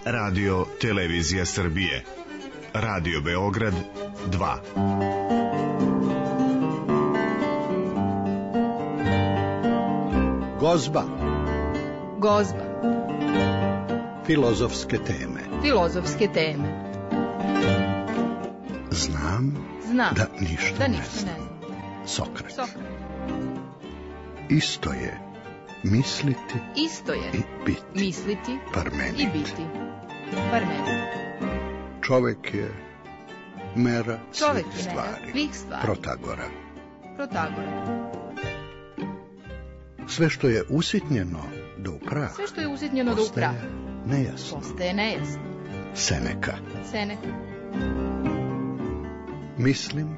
Radio Televizija Srbije. Radio Beograd 2. Gozba. Gozba. Filozofske teme. Filozofske teme. Znam da ništa ne znam. Sokrat. Isto je misliti i biti. Misliti Parmenid. i biti. Parmenid. Čovek je mera Čovek svih je mera svih stvari. Protagora. Sve što je usitnjeno do prah. Sve što je usitnjeno do prah. Nejasno. Postaje nejasno. Seneka. Mislim,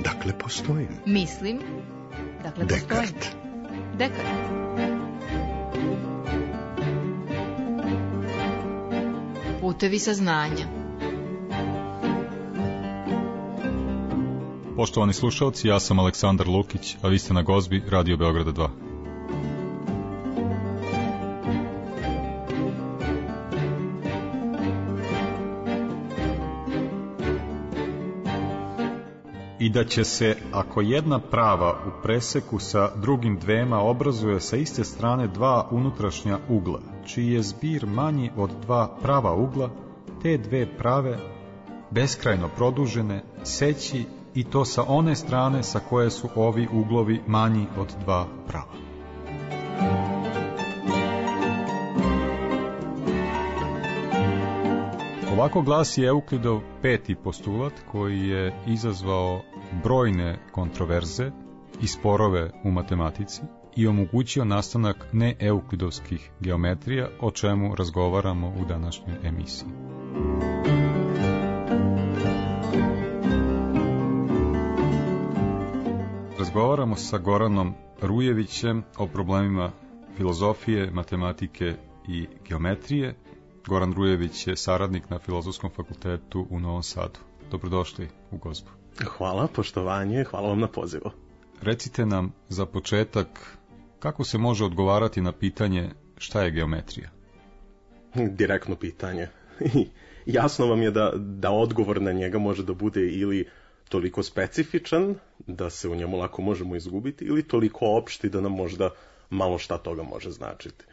dakle postojim. Mislim, dakle postojim. Dekart. Putevi saznanja. Poštovani slušalci, ja sam Aleksandar Lukić, a vi ste na Gozbi Radio Beograda 2. I da će se, ako jedna prava u preseku sa drugim dvema obrazuje sa iste strane dva unutrašnja ugla, čiji je zbir manji od dva prava ugla, te dve prave, beskrajno produžene, seći i to sa one strane sa koje su ovi uglovi manji od dva prava. Ovako glasi Euklidov peti postulat koji je izazvao brojne kontroverze i sporove u matematici i omogućio nastanak neeuklidovskih geometrija, o čemu razgovaramo u današnjoj emisiji. Razgovaramo sa Goranom Rujevićem o problemima filozofije, matematike i geometrije. Goran Rujević je saradnik na Filozofskom fakultetu u Novom Sadu. Dobrodošli u Gozbu. Hvala, poštovanje, hvala vam na pozivu. Recite nam za početak kako se može odgovarati na pitanje šta je geometrija? Direktno pitanje. Jasno vam je da odgovor na njega može da bude ili toliko specifičan da se u njemu lako možemo izgubiti ili toliko opšti da nam možda malo šta toga može značiti.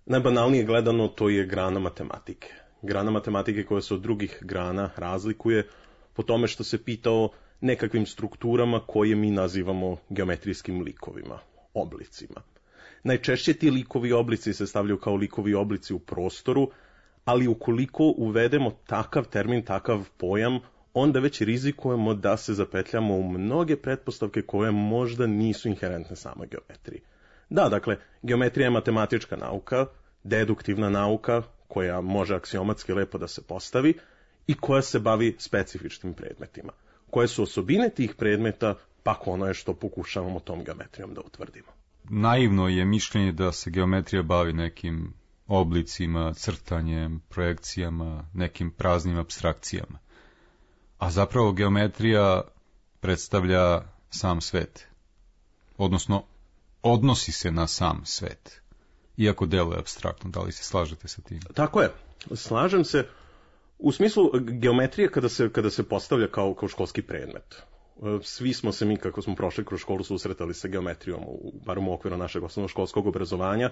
Najbanalnije gledano to je grana matematike. Grana matematike koja se od drugih grana razlikuje po tome što se pita o nekakvim strukturama koje mi nazivamo geometrijskim likovima, oblicima. Najčešće ti likovi oblici se stavljaju kao likovi oblici u prostoru, ali ukoliko uvedemo takav termin, takav pojam, onda već rizikujemo da se zapetljamo u mnoge pretpostavke koje možda nisu inherentne samoj geometriji. Da, dakle, geometrija je matematička nauka, deduktivna nauka koja može aksiomatski lepo da se postavi i koja se bavi specifičnim predmetima. Koje su osobine tih predmeta, pak ono je što pokušavamo tom geometrijom da utvrdimo. Naivno je mišljenje da se geometrija bavi nekim oblicima, crtanjem, projekcijama, nekim praznim apstrakcijama. A zapravo geometrija predstavlja sam svet. Odnosno, odnosi se na sam svet. Iako deluje apstraktno, da li se slažete sa tim? Tako je, slažem se. U smislu geometrije kada se postavlja kao školski predmet. Svi smo se mi, kako smo prošli kroz školu, susretali sa geometrijom, barem u okviru našeg osnovnoškolskog obrazovanja,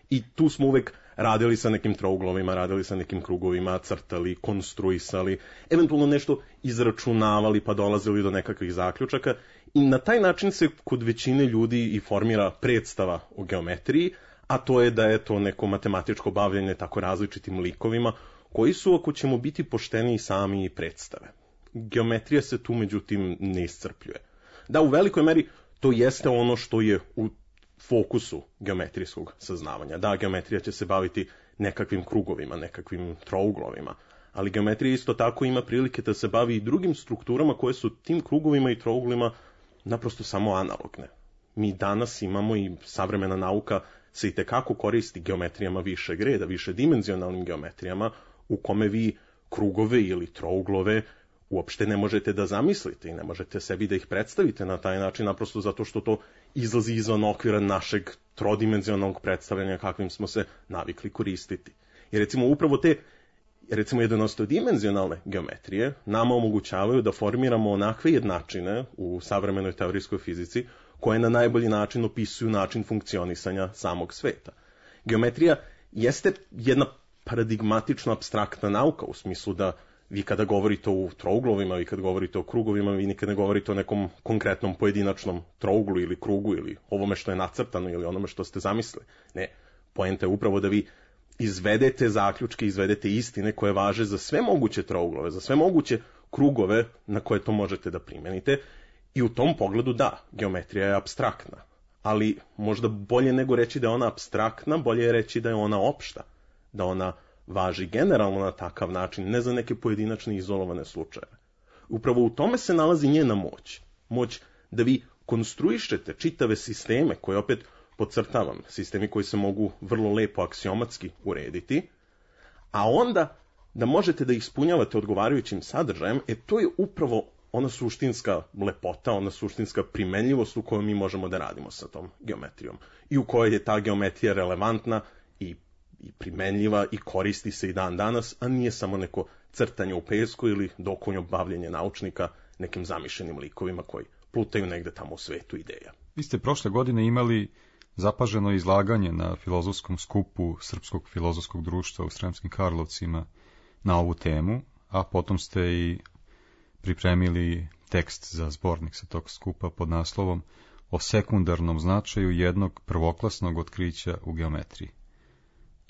i tu smo uvek radili sa nekim trouglovima, radili sa nekim krugovima, crtali, konstruisali, eventualno nešto izračunavali pa dolazili do nekakvih zaključaka i na taj način se kod većine ljudi i formira predstava o geometriji, a to je da je to neko matematičko bavljenje tako različitim likovima koji su, ako ćemo biti pošteni, sami i predstave. Geometrija se tu međutim ne iscrpljuje. Da, u velikoj meri to jeste ono što je u fokusu geometrijskog saznavanja. Da, geometrija će se baviti nekakvim krugovima, nekakvim trouglovima, ali geometrija isto tako ima prilike da se bavi i drugim strukturama koje su tim krugovima i trouglima naprosto samo analogne. Mi danas imamo i savremena nauka se i tekako koristi geometrijama višeg reda, višedimenzionalnim geometrijama u kome vi krugove ili trouglove uopšte ne možete da zamislite i ne možete sebi da ih predstavite na taj način, naprosto zato što to izlazi izvan okvira našeg trodimenzionalnog predstavljanja kakvim smo se navikli koristiti. I recimo upravo te jednostodimenzionalne geometrije nama omogućavaju da formiramo onakve jednačine u savremenoj teorijskoj fizici koje na najbolji način opisuju način funkcionisanja samog sveta. Geometrija jeste jedna paradigmatično apstraktna nauka u smislu da vi kada govorite o trouglovima, vi kada govorite o krugovima, vi nikada ne govorite o nekom konkretnom pojedinačnom trouglu ili krugu ili ovome što je nacrtano ili onome što ste zamislili. Ne, poenta je upravo da vi izvedete zaključke, izvedete istine koje važe za sve moguće trouglove, za sve moguće krugove na koje to možete da primenite. I u tom pogledu da, geometrija je apstraktna. Ali možda bolje nego reći da je ona apstraktna, bolje je reći da je ona opšta. Da ona važi generalno na takav način, ne za neke pojedinačne izolovane slučajeve. Upravo u tome se nalazi njena moć. Moć da vi konstruišete čitave sisteme koje opet podcrtavam, sistemi koji se mogu vrlo lepo aksiomatski urediti, a onda da možete da ispunjavate odgovarajućim sadržajem, to je upravo ona suštinska lepota, ona suštinska primenljivost u kojoj mi možemo da radimo sa tom geometrijom i u kojoj je ta geometrija relevantna i primenljiva i koristi se i dan danas, a nije samo neko crtanje u pesku ili dokonjo bavljenje naučnika nekim zamišljenim likovima koji plutaju negde tamo u svetu ideja. Vi ste prošle godine imali zapaženo izlaganje na filozofskom skupu Srpskog filozofskog društva u Sremskim Karlovcima na ovu temu, a potom ste i pripremili tekst za zbornik sa tog skupa pod naslovom o sekundarnom značaju jednog prvoklasnog otkrića u geometriji.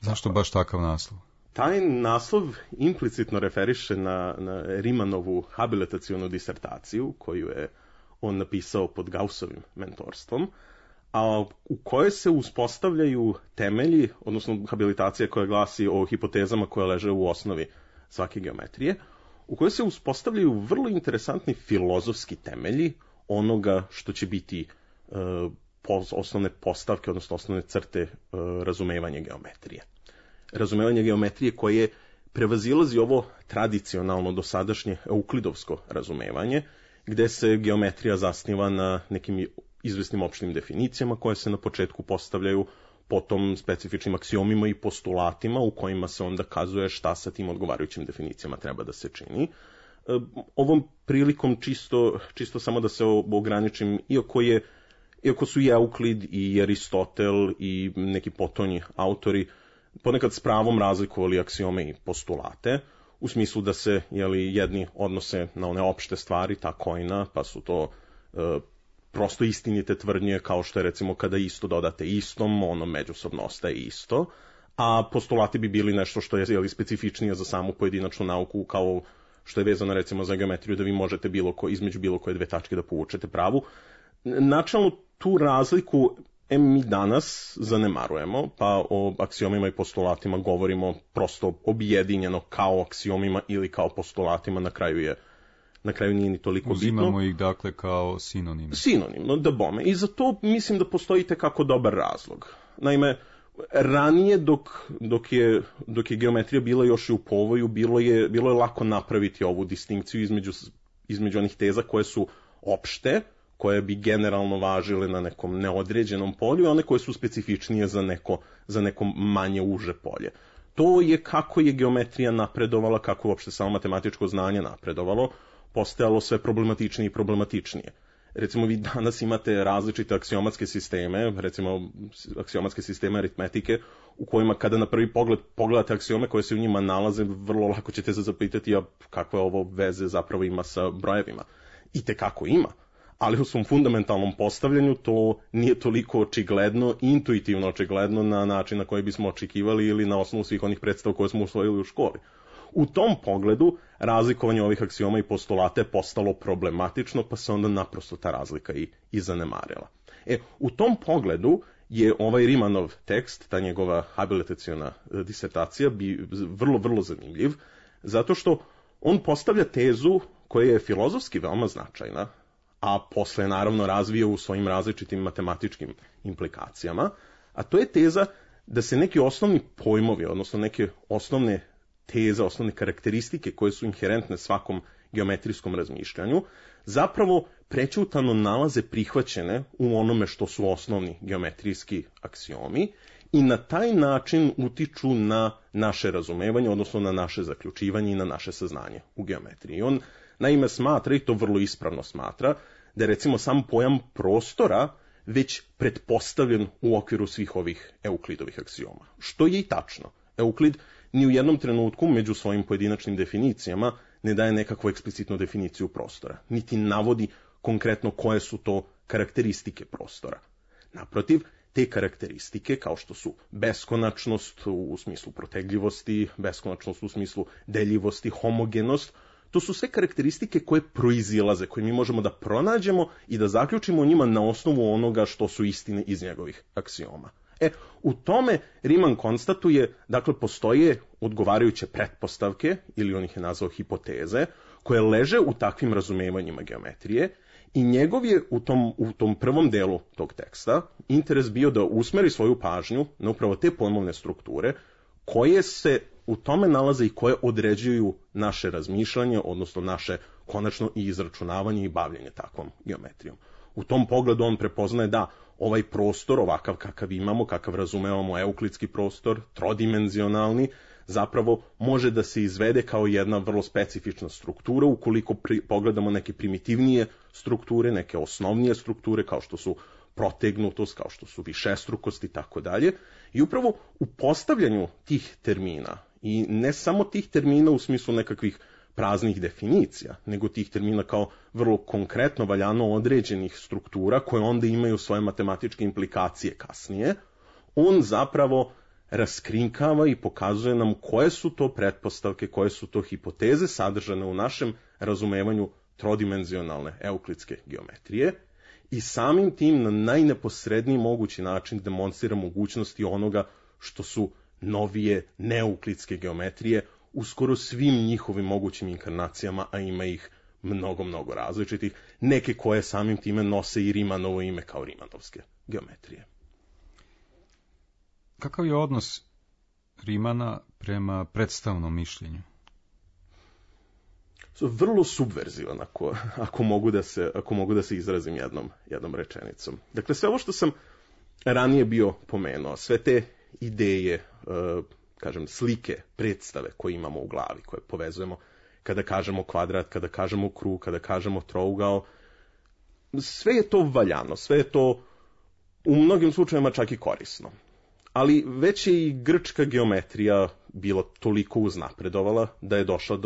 Zašto baš takav naslov? Taj naslov implicitno referiše na Rimanovu habilitacionu disertaciju koju je on napisao pod Gaussovim mentorstvom, a u kojoj se uspostavljaju temelji, odnosno habilitacija koja glasi o hipotezama koje leže u osnovi svake geometrije, u kojoj se uspostavljaju vrlo interesantni filozofski temelji onoga što će biti osnovne postavke, odnosno osnovne crte razumevanja geometrije. Razumevanje geometrije koje prevazilazi ovo tradicionalno dosadašnje euklidovsko razumevanje, gde se geometrija zasniva na nekim izvesnim opštim definicijama koje se na početku postavljaju, potom specifičnim aksiomima i postulatima u kojima se onda kazuje šta sa tim odgovarajućim definicijama treba da se čini. Ovom prilikom čisto samo da se ograničim, iako su i Euklid i Aristotel i neki potonji autori ponekad s pravom razlikovali aksiome i postulate, u smislu da se jedni odnose na one opšte stvari, ta kojna, pa su to prosto istinite tvrdnje, kao što je recimo kada isto dodate istom, ono međusobno ostaje isto, a postulati bi bili nešto što je specifičnije za samu pojedinačnu nauku, kao što je vezano recimo za geometriju, da vi možete između bilo koje dve tačke da povučete pravu. Načelno tu razliku mi danas zanemarujemo, pa o aksiomima i postulatima govorimo prosto objedinjeno kao aksiomima ili kao postulatima, na kraju nije ni toliko bitno. Uzimamo ih dakle kao sinonime. Sinonimno, da bome. I za to mislim da postoji tekako dobar razlog. Naime, ranije dok je geometrija bila još i u povoju, bilo je lako napraviti ovu distinkciju između onih teza koje su opšte, koje bi generalno važile na nekom neodređenom polju, i one koje su specifičnije za neko manje uže polje. To je kako je geometrija napredovala, kako uopšte samo matematičko znanje napredovalo, postajalo sve problematičnije i problematičnije. Recimo, vi danas imate različite aksiomatske sisteme, recimo aksiomatske sisteme aritmetike, u kojima kada na prvi pogled pogledate aksiome koje se u njima nalaze, vrlo lako ćete se zapitati kakve ovo veze zapravo ima sa brojevima. I tekako ima, ali u svom fundamentalnom postavljanju to nije toliko očigledno, intuitivno očigledno na način na koji bismo očekivali ili na osnovu svih onih predstava koje smo usvojili u školi. U tom pogledu razlikovanje ovih aksioma i postulata je postalo problematično, pa se onda naprosto ta razlika i zanemarila. U tom pogledu je ovaj Rimanov tekst, ta njegova habilitaciona disertacija, vrlo, vrlo zanimljiv, zato što on postavlja tezu koja je filozofski veoma značajna, a posle je naravno razvio u svojim različitim matematičkim implikacijama, a to je teza da se neki osnovni pojmovi, odnosno neke osnovne teze, osnovne karakteristike koje su inherentne svakom geometrijskom razmišljanju, zapravo prećutano nalaze prihvaćene u onome što su osnovni geometrijski aksiomi i na taj način utiču na naše razumevanje, odnosno na naše zaključivanje i na naše saznanje u geometriji. On naime smatra, i to vrlo ispravno smatra, da je recimo sam pojam prostora već pretpostavljen u okviru svih ovih Euklidovih aksioma. Što je i tačno. Euklid ni u jednom trenutku među svojim pojedinačnim definicijama ne daje nekakvu eksplicitnu definiciju prostora, niti navodi konkretno koje su to karakteristike prostora. Naprotiv, te karakteristike, kao što su beskonačnost u smislu protegljivosti, beskonačnost u smislu deljivosti, homogenost, to su sve karakteristike koje proizilaze, koje mi možemo da pronađemo i da zaključimo o njima na osnovu onoga što su istine iz njegovih aksioma. U tome Riemann konstatuje, dakle, postoje odgovarajuće pretpostavke, ili on ih je nazvao hipoteze, koje leže u takvim razumevanjima geometrije, i njegov je u tom prvom delu tog teksta interes bio da usmeri svoju pažnju na upravo te pojmovne strukture koje se u tome nalaze i koje određuju naše razmišljanje, odnosno naše konačno i izračunavanje i bavljenje takvom geometrijom. U tom pogledu on prepoznaje da ovaj prostor, ovakav kakav imamo, kakav razumevamo euklidski prostor, trodimenzionalni, zapravo može da se izvede kao jedna vrlo specifična struktura ukoliko pogledamo neke primitivnije strukture, neke osnovnije strukture kao što su protegnutost, kao što su višestrukost i tako dalje. I upravo u postavljanju tih termina, i ne samo tih termina u smislu nekakvih praznih definicija, nego tih termina kao vrlo konkretno valjano određenih struktura koje onda imaju svoje matematičke implikacije kasnije, on zapravo raskrinkava i pokazuje nam koje su to pretpostavke, koje su to hipoteze sadržane u našem razumevanju trodimenzionalne euklidske geometrije i samim tim na najneposredniji mogući način demonstrira mogućnosti onoga što su novije neuklidske geometrije u skoro svim njihovim mogućim inkarnacijama, a ima ih mnogo, mnogo različitih, neke koje samim time nose i Riemannovo ime kao Riemannovske geometrije. Kakav je odnos Riemanna prema predstavnom mišljenju? Vrlo subverzivan, ako mogu da se izrazim jednom rečenicom. Dakle, sve ovo što sam ranije bio pomenuo, sve te ideje, slike, predstave koje imamo u glavi, koje povezujemo kada kažemo kvadrat, kada kažemo krug, kada kažemo trougao, sve je to valjano, sve je to u mnogim slučajevima čak i korisno. Ali već je i grčka geometrija bila toliko uznapredovala da je došla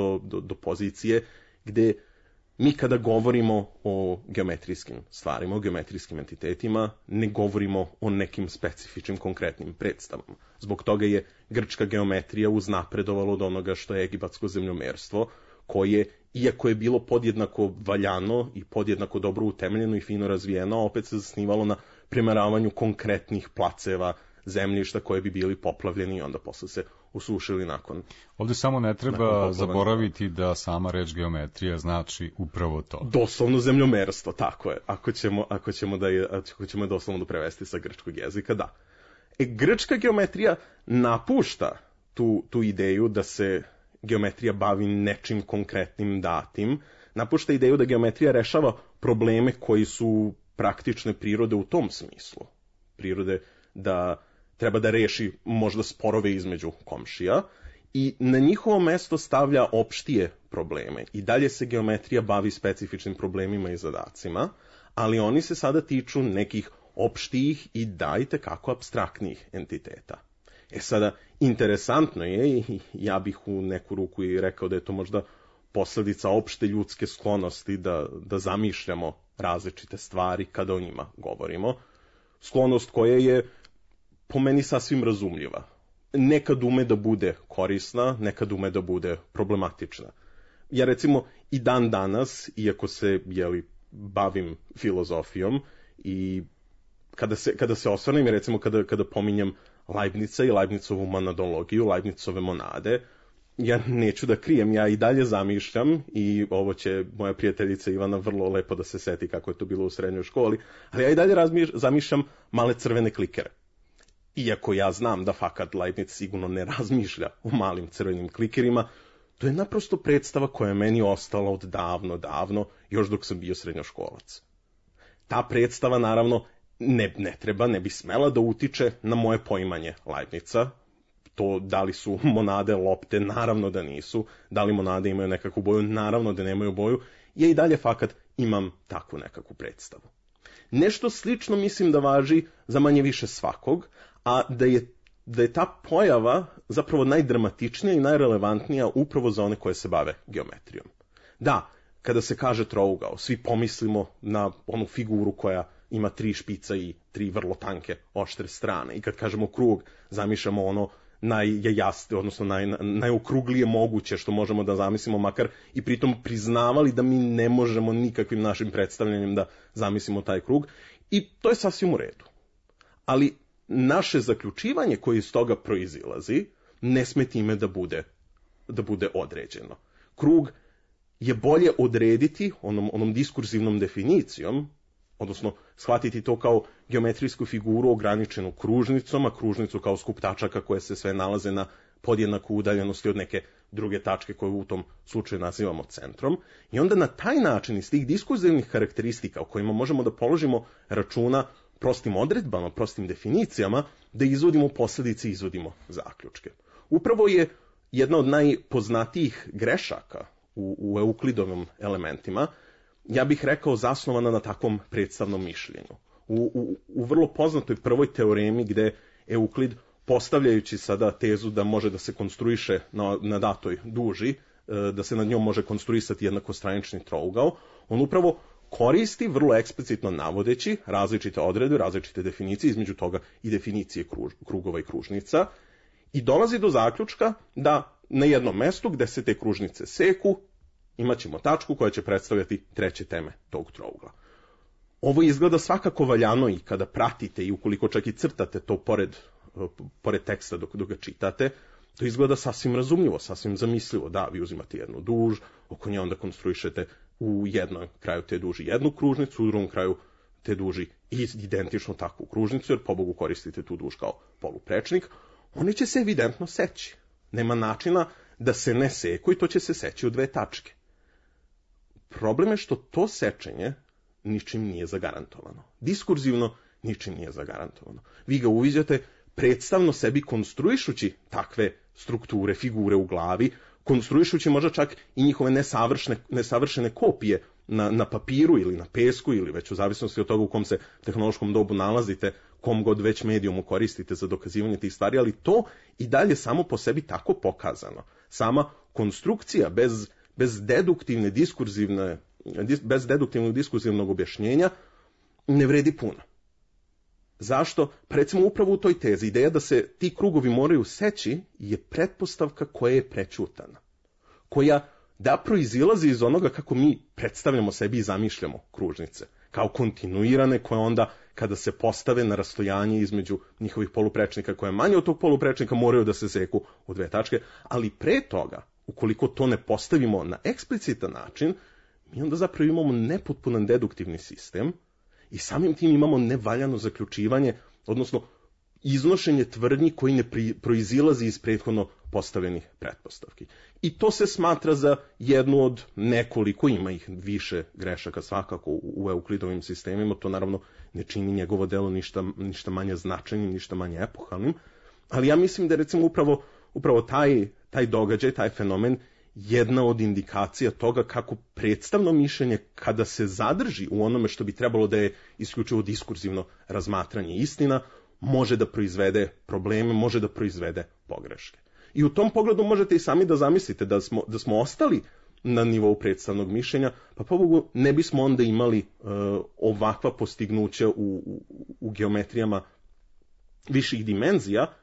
do pozicije gde mi kada govorimo o geometrijskim stvarima, o geometrijskim entitetima, ne govorimo o nekim specifičnim konkretnim predstavama. Zbog toga je grčka geometrija uznapredovala od onoga što je egipatsko zemljomerstvo, koje, iako je bilo podjednako valjano i podjednako dobro utemeljeno i fino razvijeno, opet se zasnivalo na premeravanju konkretnih placeva zemljišta koje bi bili poplavljeni i onda posle se usušili nakon. Ovdje samo ne treba zaboraviti da sama reč geometrija znači upravo to. Doslovno zemljomerstvo, tako je. Ako ćemo doslovno prevesti sa grčkog jezika, da. Grčka geometrija napušta tu ideju da se geometrija bavi nečim konkretnim datim, napušta ideju da geometrija rešava probleme koji su praktične prirode u tom smislu. Prirode da treba da reši možda sporove između komšija i na njihovo mesto stavlja opštije probleme. I dalje se geometrija bavi specifičnim problemima i zadacima, ali oni se sada tiču nekih opštijih i dajte kako apstraktnijih entiteta. Sada, interesantno je, i ja bih u neku ruku i rekao da je to možda posledica opšte ljudske sklonosti da zamišljamo različite stvari kada o njima govorimo. Sklonost koja je po meni sasvim razumljiva. Nekad ume da bude korisna, nekad ume da bude problematična. Ja recimo i dan danas, iako se bavim filozofijom i kada se osvrnem, recimo kada pominjem Leibnica i Leibnicovu monadologiju, Leibnicove monade, ja neću da krijem, ja i dalje zamišljam, i ovo će moja prijateljica Ivana vrlo lepo da se seti kako je to bilo u srednjoj školi, ali ja i dalje zamišljam male crvene klikere. Iako ja znam da fakat Leibniz sigurno ne razmišlja o malim crvenim klikerima, to je naprosto predstava koja je meni ostala od davno, još dok sam bio srednjoškolac. Ta predstava, naravno, ne bi smela da utiče na moje poimanje Leibnica. To da li su monade lopte, naravno da nisu. Da li monade imaju nekakvu boju, naravno da nemaju boju. Ja i dalje fakat imam takvu nekakvu predstavu. Nešto slično mislim da važi za manje više svakog, a da je ta pojava zapravo najdramatičnija i najrelevantnija upravo za one koje se bave geometrijom. Da, kada se kaže trougao, svi pomislimo na onu figuru koja ima 3 špica i 3 vrlo tanke oštre strane. I kad kažemo krug, zamišljamo ono najjasnije, odnosno najokruglije moguće što možemo da zamislimo, makar i pritom priznavali da mi ne možemo nikakvim našim predstavljanjem da zamislimo taj krug. I to je sasvim u redu. Ali naše zaključivanje koje iz toga proizilazi ne sme time da bude određeno. Krug je bolje odrediti onom diskurzivnom definicijom, odnosno shvatiti to kao geometrijsku figuru ograničenu kružnicom, a kružnicu kao skup tačaka koje se sve nalaze na podjednaku udaljenosti od neke druge tačke koju u tom slučaju nazivamo centrom. I onda na taj način iz tih diskurzivnih karakteristika o kojima možemo da položimo računa prostim odredbama, prostim definicijama, da izvodimo posledice i izvodimo zaključke. Upravo je jedna od najpoznatijih grešaka u Euklidovim elementima, ja bih rekao, zasnovana na takvom predstavnom mišljenju. U vrlo poznatoj prvoj teoremi gde Euklid, postavljajući sada tezu da može da se konstruiše na datoj duži, da se nad njom može konstruisati jednakostranični trougao, on upravo koristi, vrlo eksplicitno navodeći, različite odredbe, različite definicije, između toga i definicije krugova i kružnica, i dolazi do zaključka da na jednom mestu gde se te kružnice seku, imat ćemo tačku koja će predstavljati treće teme tog trougla. Ovo izgleda svakako valjano i kada pratite i ukoliko čak i crtate to pored teksta dok ga čitate, to izgleda sasvim razumljivo, sasvim zamislivo. Da, vi uzimate jednu duž, oko nje onda konstruišete u jednom kraju te duži jednu kružnicu, u drugom kraju te duži identično takvu kružnicu, jer pobogu koristite tu duž kao poluprečnik, oni će se evidentno seći. Nema načina da se ne seku i to će se seći u 2 tačke. Problem je što to sečenje ničim nije zagarantovano. Diskurzivno ničim nije zagarantovano. Vi ga uviđate predstavno sebi konstruišući takve strukture, figure u glavi, konstruišući možda čak i njihove nesavršene kopije na papiru ili na pesku ili već u zavisnosti od toga u kom se tehnološkom dobu nalazite, kom god već medijumu koristite za dokazivanje tih stvari, ali to i dalje samo po sebi tako pokazano. Sama konstrukcija bez deduktivnog diskurzivnog objašnjenja ne vredi puno. Zašto? Pa recimo upravo u toj tezi ideja da se ti krugovi moraju seći je pretpostavka koja je prećutana, koja da proizilazi iz onoga kako mi predstavljamo sebi i zamišljamo kružnice, kao kontinuirane koje onda kada se postave na rastojanje između njihovih poluprečnika koje je manje od tog poluprečnika moraju da se seku u 2 tačke, ali pre toga, ukoliko to ne postavimo na eksplicitan način, mi onda zapravo imamo nepotpunan deduktivni sistem i samim tim imamo nevaljano zaključivanje, odnosno iznošenje tvrdnji koji ne proizilazi iz prethodno postavljenih pretpostavki. I to se smatra za jednu od nekoliko, ima ih više grešaka svakako u Euklidovim sistemima, to naravno ne čini njegovo delo ništa manje značajnim, ništa manje epohalnim, ali ja mislim da je recimo upravo taj događaj, taj fenomen, jedna od indikacija toga kako predstavno mišljenje, kada se zadrži u onome što bi trebalo da je isključivo diskurzivno razmatranje istina, može da proizvede probleme, može da proizvede pogreške. I u tom pogledu možete i sami da zamislite da smo ostali na nivou predstavnog mišljenja, pa pobogu ne bismo onda imali ovakva postignuća u geometrijama viših dimenzija,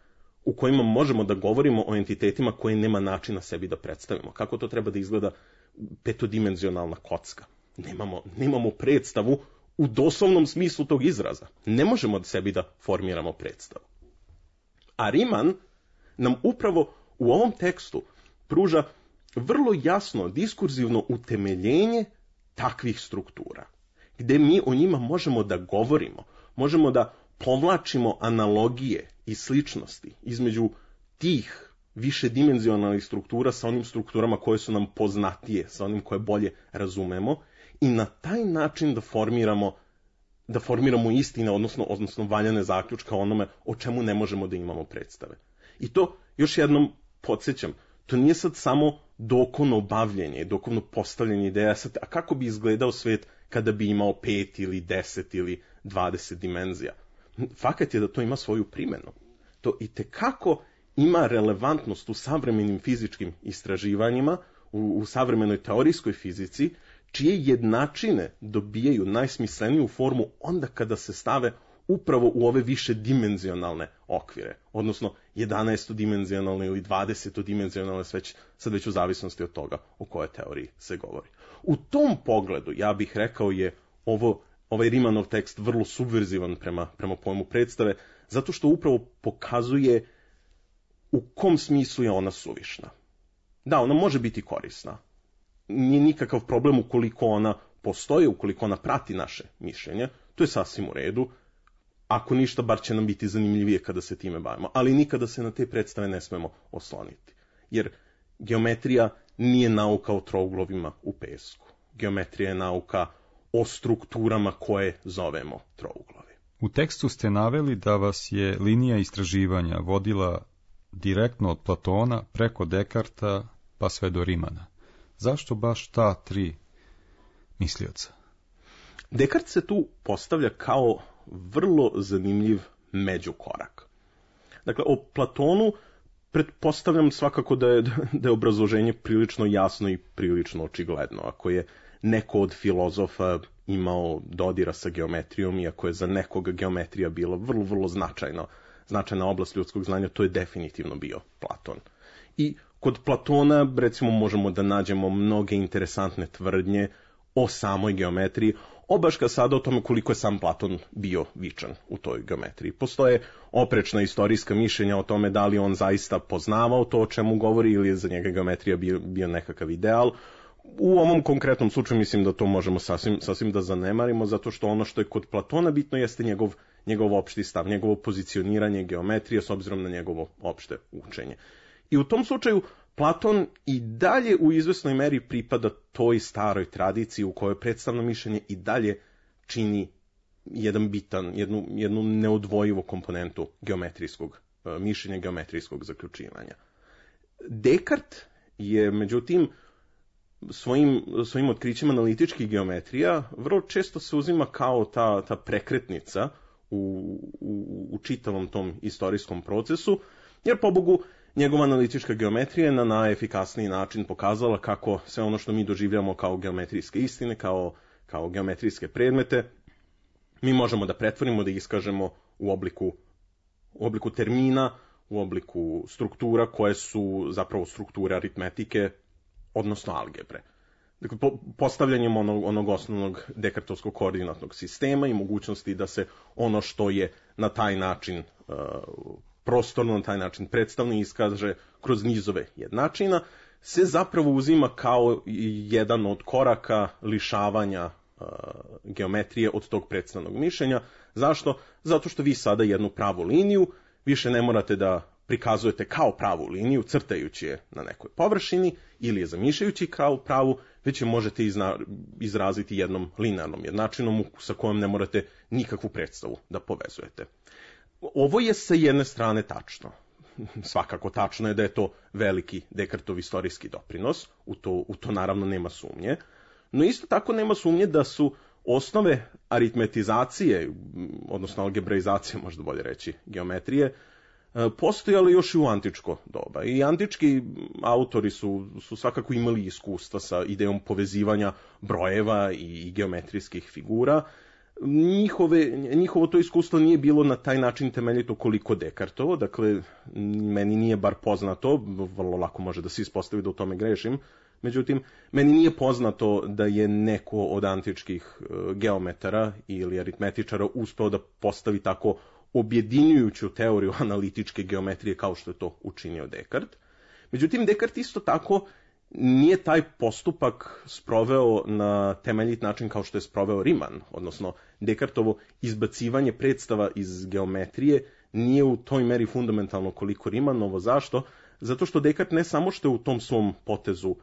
u kojima možemo da govorimo o entitetima koje nema načina sebi da predstavimo. Kako to treba da izgleda petodimenzionalna kocka? Nemamo predstavu u doslovnom smislu tog izraza. Ne možemo od sebi da formiramo predstavu. A Riemann nam upravo u ovom tekstu pruža vrlo jasno diskurzivno utemeljenje takvih struktura, gde mi o njima možemo da govorimo, možemo da povlačimo analogije i sličnosti između tih višedimenzionalnih struktura sa onim strukturama koje su nam poznatije, sa onim koje bolje razumemo i na taj način da formiramo da formiramo istine, odnosno valjane zaključka o onome o čemu ne možemo da imamo predstave. I to, još jednom podsjećam, to nije sad samo dokono bavljenje, dokono postavljanje ideja, sad, a kako bi izgledao svet kada bi imao 5 ili 10 ili 20 dimenzija. Fakat je da to ima svoju primjenu. To itekako ima relevantnost u savremenim fizičkim istraživanjima, u savremenoj teorijskoj fizici, čije jednačine dobijaju najsmisleniju formu onda kada se stave upravo u ove više dimenzionalne okvire, odnosno 11-dimenzionalne ili 20-dimenzionalne, sad već u zavisnosti od toga o kojoj teoriji se govori. U tom pogledu, ja bih rekao, je ovaj Riemannov tekst vrlo subverzivan prema pojmu predstave, zato što upravo pokazuje u kom smislu je ona suvišna. Da, ona može biti korisna. Nije nikakav problem ukoliko ona postoji, ukoliko ona prati naše mišljenje, to je sasvim u redu. Ako ništa, bar će nam biti zanimljivije kada se time bavimo, ali nikada se na te predstave ne smemo osloniti. Jer geometrija nije nauka o trouglovima u pesku. Geometrija je nauka o strukturama koje zovemo trouglovi. U tekstu ste naveli da vas je linija istraživanja vodila direktno od Platona preko Dekarta pa sve do Riemana. Zašto baš ta 3 mislioca? Dekart se tu postavlja kao vrlo zanimljiv međukorak. Dakle, o Platonu pretpostavljam svakako da je obrazloženje prilično jasno i prilično očigledno. Ako je neko od filozofa imao dodira sa geometrijom i ako je za nekoga geometrija bila vrlo, vrlo značajna oblast ljudskog znanja, to je definitivno bio Platon. I kod Platona, recimo, možemo da nađemo mnoge interesantne tvrdnje o samoj geometriji, obaška sada o tome koliko je sam Platon bio vičan u toj geometriji. Postoje oprečna istorijska mišljenja o tome da li on zaista poznavao to o čemu govori ili je za njega geometrija bio nekakav ideal. U ovom konkretnom slučaju mislim da to možemo sasvim da zanemarimo, zato što ono što je kod Platona bitno jeste njegov opšti stav, njegovo pozicioniranje geometrije s obzirom na njegovo opšte učenje. I u tom slučaju Platon i dalje u izvesnoj meri pripada toj staroj tradiciji u kojoj predstavno mišljenje i dalje čini jednu neodvojivu komponentu geometrijskog mišljenja, geometrijskog zaključivanja. Dekart je, međutim, svojim otkrićima analitičkih geometrija vrlo često se uzima kao ta prekretnica u čitavom tom istorijskom procesu, jer pobogu njegova analitička geometrija je na najefikasniji način pokazala kako sve ono što mi doživljamo kao geometrijske istine, kao geometrijske predmete, mi možemo da pretvorimo, da iskažemo u obliku termina, u obliku struktura koje su zapravo strukture aritmetike, odnosno algebre. Dakle, postavljanjem onog osnovnog dekartovskog koordinatnog sistema i mogućnosti da se ono što je na taj način prostorno, na taj način predstavno iskaže kroz nizove jednačina, se zapravo uzima kao jedan od koraka lišavanja geometrije od tog predstavnog mišljenja. Zašto? Zato što vi sada jednu pravu liniju više ne morate da prikazujete kao pravu liniju, crtajući je na nekoj površini ili je zamišljajući kao pravu, već je možete izraziti jednom linearnom jednačinom sa kojom ne morate nikakvu predstavu da povezujete. Ovo je sa jedne strane tačno. Svakako tačno je da je to veliki Dekartov istorijski doprinos, u to naravno nema sumnje, no isto tako nema sumnje da su osnove aritmetizacije, odnosno algebraizacije, možda bolje reći, geometrije, postojali još i u antičko doba. I antički autori su svakako imali iskustva sa idejom povezivanja brojeva i geometrijskih figura. Njihovo to iskustvo nije bilo na taj način temeljito koliko Dekartovo, dakle, meni nije bar poznato, vrlo lako može da se ispostavi da u tome grešim, međutim, meni nije poznato da je neko od antičkih geometara ili aritmetičara uspeo da postavi tako objedinjujuću teoriju analitičke geometrije kao što je to učinio Dekart. Međutim, Dekart isto tako nije taj postupak sproveo na temeljit način kao što je sproveo Riemann, odnosno Dekartovo izbacivanje predstava iz geometrije nije u toj meri fundamentalno koliko Riemannovo. Zašto? Zato što Dekart ne samo što je u tom svom potezu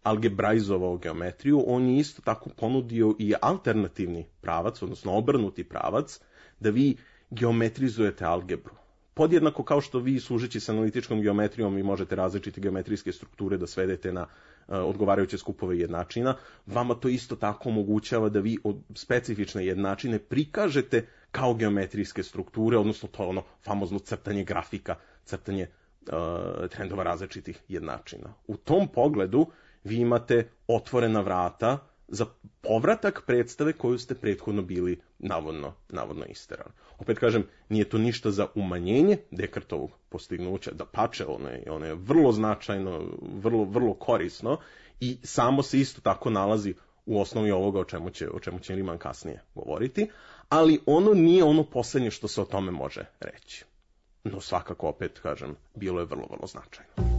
algebraizovao geometriju, on je isto tako ponudio i alternativni pravac, odnosno obrnuti pravac, da vi geometrizujete algebru. Podjednako kao što vi, služeći s analitičkom geometrijom, vi možete različite geometrijske strukture da svedete na odgovarajuće skupove jednačina, vama to isto tako omogućava da vi specifične jednačine prikažete kao geometrijske strukture, odnosno to je ono famozno crtanje grafika, crtanje trendova različitih jednačina. U tom pogledu vi imate otvorena vrata za povratak predstave koju ste prethodno bili navodno isterali. Opet kažem, nije to ništa za umanjenje Descartovog postignuća, dapače, ono je vrlo značajno, vrlo korisno i samo se isto tako nalazi u osnovi ovoga o čemu će Riemann kasnije govoriti, ali ono nije ono poslednje što se o tome može reći. No svakako, opet kažem, bilo je vrlo značajno.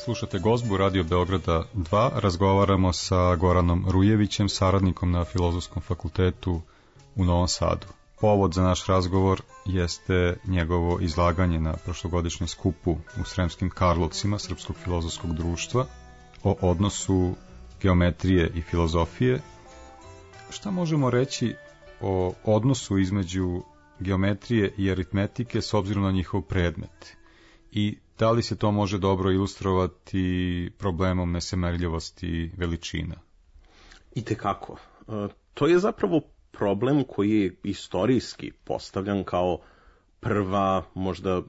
Slušate Gozbu Radio Beograda 2, razgovaramo sa Goranom Rujevićem, saradnikom na Filozofskom fakultetu u Novom Sadu. Povod za naš razgovor jeste njegovo izlaganje na prošlogodišnjem skupu u Sremskim Karlovcima Srpskog filozofskog društva o odnosu geometrije i filozofije. Šta možemo reći o odnosu između geometrije i aritmetike s obzirom na njihov predmet? I da li se to može dobro ilustrovati problemom nesemerljivosti veličina? Itekako. To je zapravo problem koji je istorijski postavljan kao prva, možda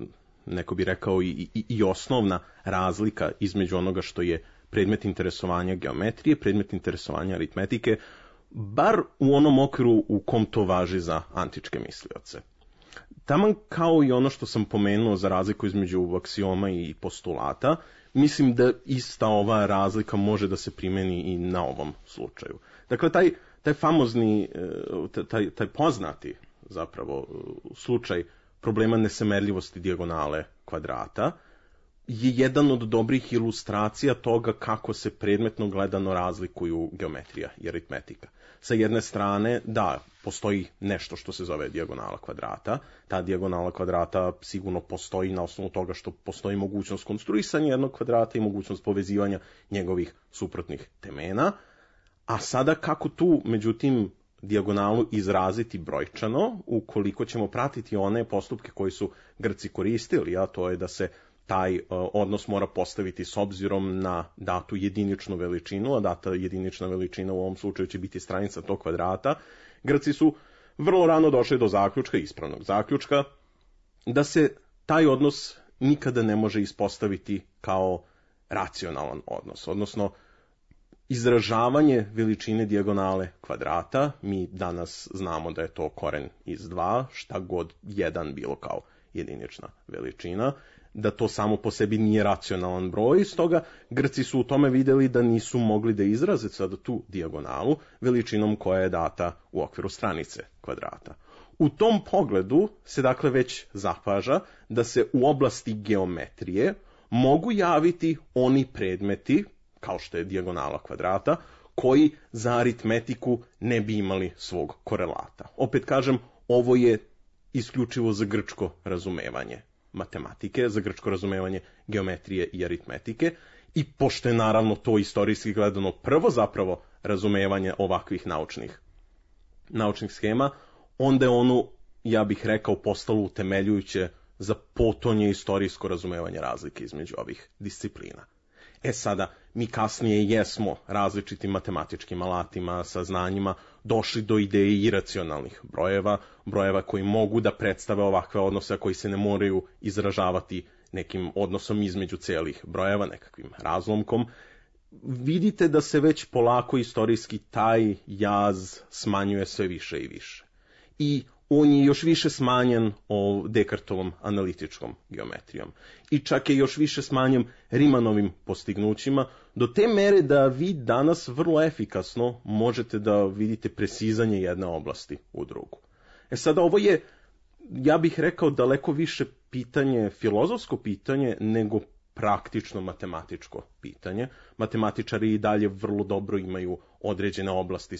neko bi rekao i osnovna razlika između onoga što je predmet interesovanja geometrije, predmet interesovanja aritmetike, bar u onom okviru u kom to važi za antičke mislioce. Taman kao i ono što sam pomenuo za razliku između aksioma i postulata, mislim da ista ova razlika može da se primeni i na ovom slučaju. Dakle, taj famozni, taj poznati zapravo slučaj problema nesemerljivosti dijagonale kvadrata je jedan od dobrih ilustracija toga kako se predmetno gledano razlikuju geometrija i aritmetika. Sa jedne strane, da, postoji nešto što se zove dijagonala kvadrata. Ta dijagonala kvadrata sigurno postoji na osnovu toga što postoji mogućnost konstruisanja jednog kvadrata i mogućnost povezivanja njegovih suprotnih temena. A sada kako tu, međutim, dijagonalu izraziti brojčano, ukoliko ćemo pratiti one postupke koji su Grci koristili, a to je da se taj odnos mora postaviti s obzirom na datu jediničnu veličinu, a data jedinična veličina u ovom slučaju će biti stranica tog kvadrata. Grci su vrlo rano došli do zaključka, ispravnog zaključka, da se taj odnos nikada ne može ispostaviti kao racionalan odnos, odnosno izražavanje veličine dijagonale kvadrata. Mi danas znamo da je to koren iz 2, šta god 1 bilo kao jedinična veličina, da to samo po sebi nije racionalan broj, stoga Grci su u tome vidjeli da nisu mogli da izraze sada tu dijagonalu veličinom koja je data u okviru stranice kvadrata. U tom pogledu se dakle već zapaža da se u oblasti geometrije mogu javiti oni predmeti, kao što je dijagonala kvadrata, koji za aritmetiku ne bi imali svog korelata. Opet kažem, ovo je isključivo za grčko razumevanje matematike, za grčko razumevanje geometrije i aritmetike, i pošto je naravno to istorijski gledano prvo zapravo razumevanje ovakvih naučnih schema, onda je ono, ja bih rekao, postalo utemeljujuće za potonje istorijsko razumevanje razlike između ovih disciplina. Sada, mi kasnije jesmo različitim matematičkim alatima, saznanjima, došli do ideje iracionalnih brojeva, brojeva koji mogu da predstave ovakve odnose, a koji se ne moraju izražavati nekim odnosom između celih brojeva, nekakvim razlomkom. Vidite da se već polako istorijski taj jaz smanjuje sve više i više. I on je još više smanjen Descartovom analitičkom geometrijom. I čak je još više smanjen Riemanovim postignućima, do te mere da vi danas vrlo efikasno možete da vidite presizanje jedne oblasti u drugu. Sada ovo je, ja bih rekao, daleko više pitanje, filozofsko pitanje, nego praktično matematičko pitanje. Matematičari i dalje vrlo dobro imaju određene oblasti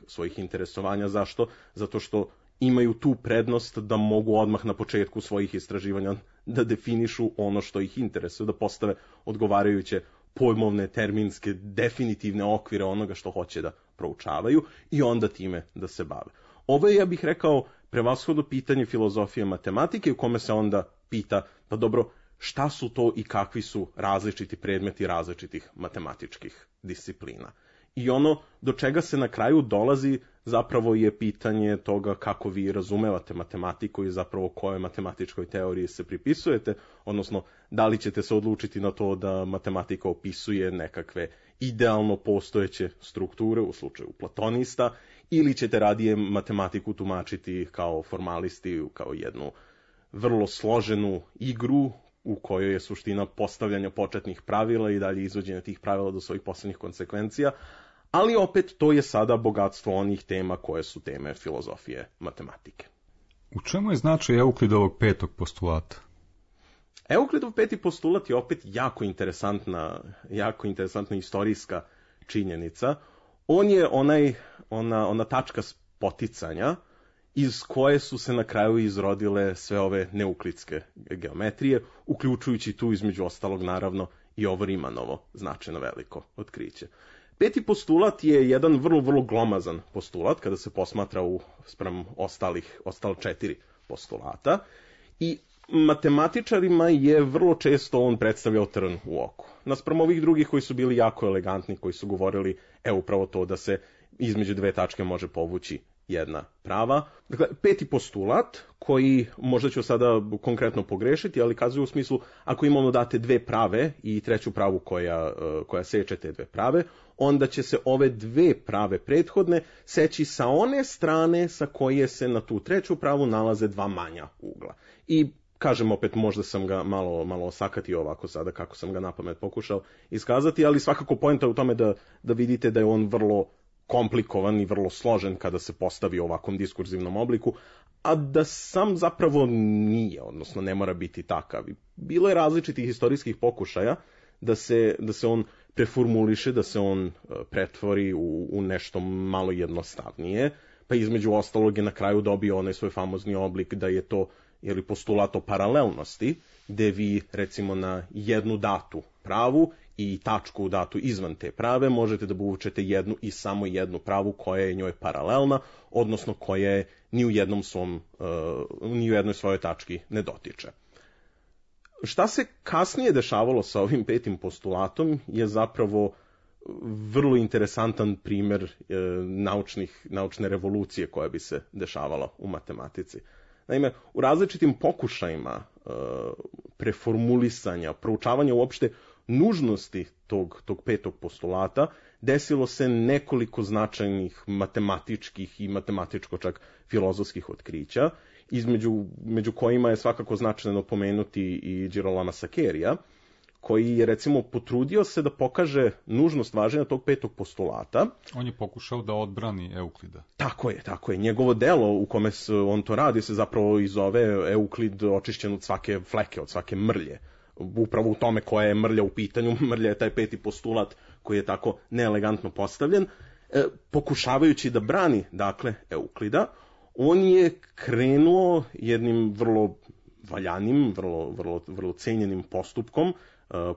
svojih interesovanja. Zašto? Zato što imaju tu prednost da mogu odmah na početku svojih istraživanja da definišu ono što ih interesuje, da postave odgovarajuće pojmovne, terminske, definitivne okvire onoga što hoće da proučavaju i onda time da se bave. Ovo je, ja bih rekao, prevashodno pitanje filozofije matematike u kome se onda pita, pa dobro, šta su to i kakvi su različiti predmeti različitih matematičkih disciplina. I ono do čega se na kraju dolazi zapravo je pitanje toga kako vi razumevate matematiku i zapravo kojoj matematičkoj teoriji se pripisujete, odnosno da li ćete se odlučiti na to da matematika opisuje nekakve idealno postojeće strukture u slučaju platonista, ili ćete radije matematiku tumačiti kao formalisti, kao jednu vrlo složenu igru u kojoj je suština postavljanja početnih pravila i dalje izvođenja tih pravila do svojih poslednjih konsekvencija, ali opet to je sada bogatstvo onih tema koje su teme filozofije matematike. U čemu je značaj Euklidovog petog postulata? Euklidov peti postulat je opet jako interesantna istorijska činjenica. On je ona tačka spoticanja iz koje su se na kraju izrodile sve ove neuklidske geometrije, uključujući tu između ostalog naravno i ovo Riemanovo značajno veliko otkriće. Peti postulat je jedan vrlo, vrlo glomazan postulat kada se posmatra spram ostala 4 postulata i matematičarima je vrlo često on predstavljao trn u oku. Naspram ovih drugih koji su bili jako elegantni, koji su govorili upravo to da se između dve tačke može povući jedna prava. Dakle, peti postulat, koji možda ću sada konkretno pogrešiti, ali kazuje u smislu, ako imamo date dve prave i treću pravu koja seče te dve prave, onda će se ove dve prave prethodne seći sa one strane sa koje se na tu treću pravu nalaze dva manja ugla. I kažem opet, možda sam ga malo osakatio ovako sada kako sam ga napamet pokušao iskazati, ali svakako poenta je u tome da vidite da je on vrlo komplikovan i vrlo složen kada se postavi u ovakvom diskurzivnom obliku, a da sam zapravo nije, odnosno ne mora biti takav. Bilo je različitih historijskih pokušaja da se on preformuliše, da se on pretvori u nešto malo jednostavnije, pa između ostalog je na kraju dobio onaj svoj famozni oblik da je to postulat o paralelnosti, gde vi recimo na jednu datu pravu i tačku datu izvan te prave možete da povučete jednu i samo jednu pravu koja je njoj paralelna, odnosno koja je ni u jednoj svojoj tački ne dotiče. Šta se kasnije dešavalo sa ovim petim postulatom je zapravo vrlo interesantan primer naučne revolucije koja bi se dešavala u matematici. Naime, u različitim pokušajima preformulisanja, proučavanja uopšte nužnosti tog petog postulata, desilo se nekoliko značajnih matematičkih i matematičko čak filozofskih otkrića, među kojima je svakako značajno pomenuti i Girolama Saccherija, koji je recimo potrudio se da pokaže nužnost važenja tog petog postulata. On je pokušao da odbrani Euklida. Tako je. Njegovo delo u kome on to radi se zapravo i zove Euklid očišćen od svake fleke, od svake mrlje. Upravo u tome koja je mrlja u pitanju, mrlja je taj peti postulat koji je tako neelegantno postavljen. Pokušavajući da brani, dakle, Euklida, on je krenuo jednim vrlo valjanim, vrlo cenjenim postupkom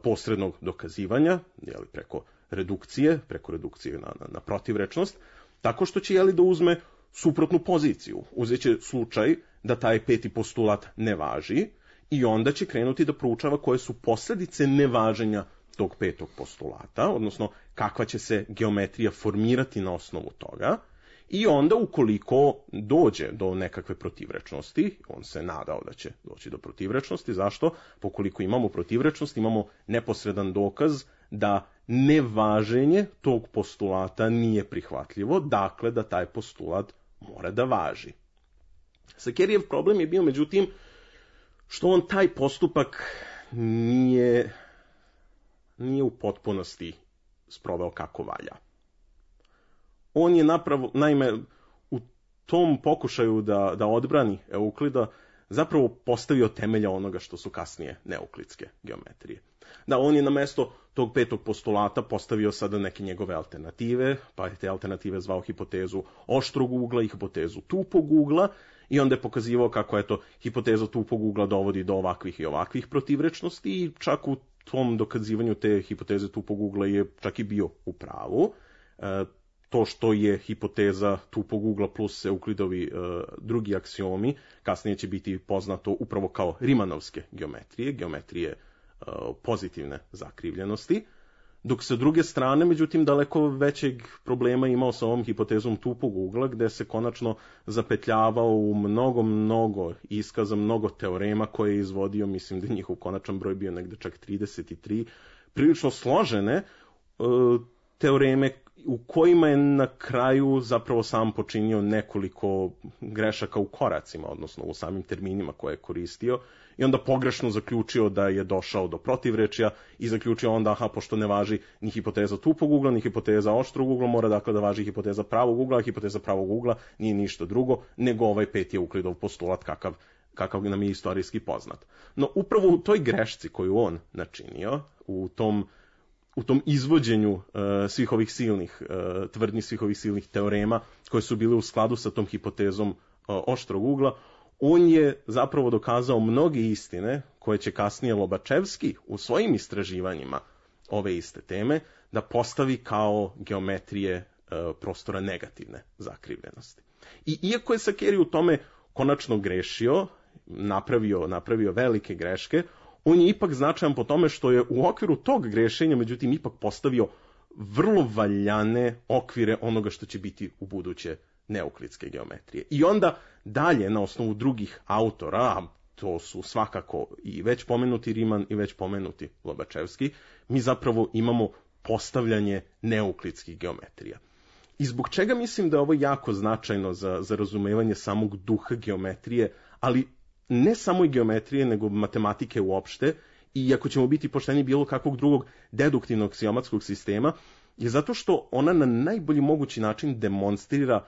posrednog dokazivanja, preko redukcije na protivrečnost, tako što će da uzme suprotnu poziciju. Uzeće slučaj da taj peti postulat ne važi i onda će krenuti da proučava koje su posledice nevaženja tog petog postulata, odnosno kakva će se geometrija formirati na osnovu toga, i onda ukoliko dođe do nekakve protivrečnosti, on se nadao da će doći do protivrečnosti, zašto? Pokoliko imamo protivrečnost, imamo neposredan dokaz da nevaženje tog postulata nije prihvatljivo, dakle da taj postulat mora da važi. Sakerijev problem je bio, međutim, što on taj postupak nije u potpunosti sproveo kako valja. On je naime, u tom pokušaju da odbrani Euklida zapravo postavio temelja onoga što su kasnije neuklidske geometrije. Da, on je na mesto tog petog postulata postavio sada neke njegove alternative, pa je te alternative zvao hipotezu oštrog ugla i hipotezu tupog ugla, i onda je pokazivao kako hipoteza tupog ugla dovodi do ovakvih i ovakvih protivrečnosti, i čak u tom dokazivanju te hipoteze tupog ugla je čak i bio u pravu. To što je hipoteza tupog ugla plus Euklidovi drugi aksiomi kasnije će biti poznato upravo kao Rimanovske geometrije pozitivne zakrivljenosti, dok sa druge strane, međutim, daleko većeg problema imao sa ovom hipotezom tupog ugla, gde se konačno zapetljavao u mnogo iskaza, mnogo teorema koje je izvodio, mislim da je njihov konačan broj bio negde čak 33, prilično složene teoreme u kojima je na kraju zapravo sam počinio nekoliko grešaka u koracima, odnosno u samim terminima koje je koristio, i onda pogrešno zaključio da je došao do protivrečja i zaključio onda, pošto ne važi ni hipoteza tupog ugla, ni hipoteza oštrog ugla, mora dakle da važi hipoteza pravog ugla, a hipoteza pravog ugla nije ništa drugo nego ovaj peti Euklidov postulat kakav nam je istorijski poznat. No upravo u toj grešci koju on načinio, u tom izvođenju svih ovih silnih tvrdnji, svih ovih silnih teorema koje su bile u skladu sa tom hipotezom oštrog ugla, on je zapravo dokazao mnoge istine koje će kasnije Lobačevski u svojim istraživanjima ove iste teme da postavi kao geometrije prostora negativne zakrivljenosti. I iako je Sakeri u tome konačno grešio, napravio velike greške, on je ipak značajan po tome što je u okviru tog grešenja, međutim, ipak postavio vrlo valjane okvire onoga što će biti u buduće neuklidske geometrije. I onda dalje, na osnovu drugih autora, a to su svakako i već pomenuti Riemann i već pomenuti Lobačevski, mi zapravo imamo postavljanje neuklidskih geometrija. I zbog čega mislim da je ovo jako značajno za razumevanje samog duha geometrije, ali ne samo i geometrije, nego matematike uopšte, i ako ćemo biti pošteni bilo kakvog drugog deduktivnog aksiomatskog sistema, je zato što ona na najbolji mogući način demonstrira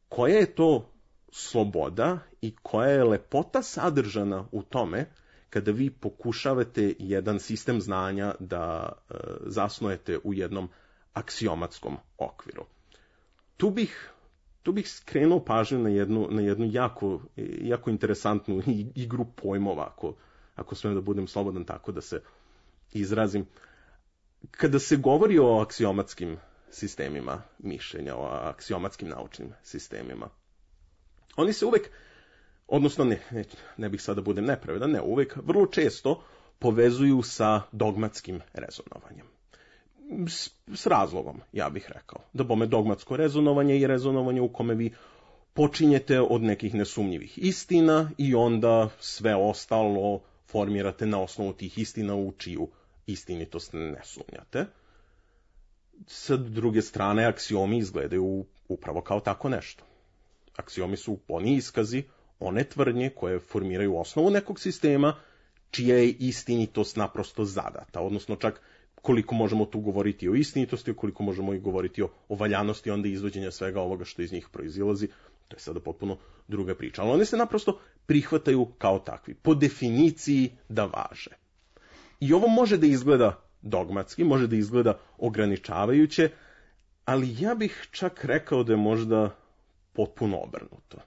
koja je to sloboda i koja je lepota sadržana u tome kada vi pokušavate jedan sistem znanja da zasnujete u jednom aksiomatskom okviru. Tu bih skrenuo pažnju na jednu jako interesantnu igru pojmova, ako smijem da budem slobodan tako da se izrazim. Kada se govori o aksiomatskim sistemima mišljenja, o aksiomatskim naučnim sistemima, oni se uvek, odnosno ne bih sada da budem nepravedan, ne uvek, vrlo često povezuju sa dogmatskim rezonovanjem. S razlogom, ja bih rekao. Da bome dogmatsko rezonovanje i rezonovanje u kome vi počinjete od nekih nesumnjivih istina i onda sve ostalo formirate na osnovu tih istina u čiju istinitost ne sumnjate. Sa druge strane, aksiomi izgledaju upravo kao tako nešto. Aksiomi su oni iskazi, one tvrdnje koje formiraju osnovu nekog sistema, čija je istinitost naprosto zadata, odnosno čak koliko možemo tu govoriti o istinitosti, koliko možemo i govoriti o valjanosti onda izvođenja svega ovoga što iz njih proizilazi, to je sada potpuno druga priča. Ali one se naprosto prihvataju kao takvi, po definiciji da važe. I ovo može da izgleda dogmatski, može da izgleda ograničavajuće, ali ja bih čak rekao da je možda potpuno obrnuto.